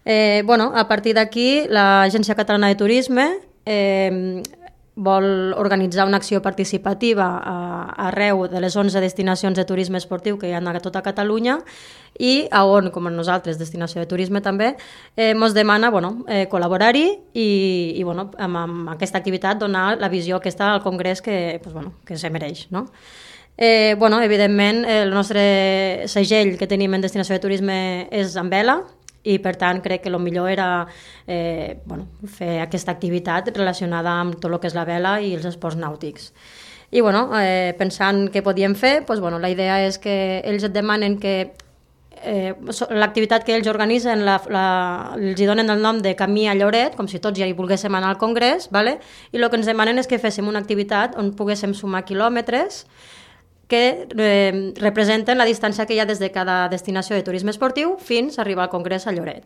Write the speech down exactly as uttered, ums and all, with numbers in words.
Eh, bueno, a partir d'aquí, l'Agència Catalana de Turisme eh, vol organitzar una acció participativa a, arreu de les onze destinacions de turisme esportiu que hi ha a tota Catalunya i a on, com a nosaltres, destinació de turisme també, eh, ens demana bueno, eh, col·laborar-hi i, i bueno, amb, amb aquesta activitat donar la visió aquesta al Congrés que, pues, bueno, que se mereix, no? Eh, bueno, evidentment, el nostre segell que tenim en destinació de turisme és amb vela, i per tant crec que el millor era eh, bueno, fer aquesta activitat relacionada amb tot el que és la vela i els esports nàutics. I bueno, eh, pensant què podíem fer, doncs, bueno, la idea és que ells et demanen que eh, l'activitat que ells organitzen la, la, els hi donen el nom de Camí a Lloret, com si tots ja hi volguéssim anar al Congrés, vale? I el que ens demanen és que féssim una activitat on poguéssim sumar quilòmetres que eh, representen la distància que hi ha des de cada destinació de turisme esportiu fins a arribar al Congrés a Lloret.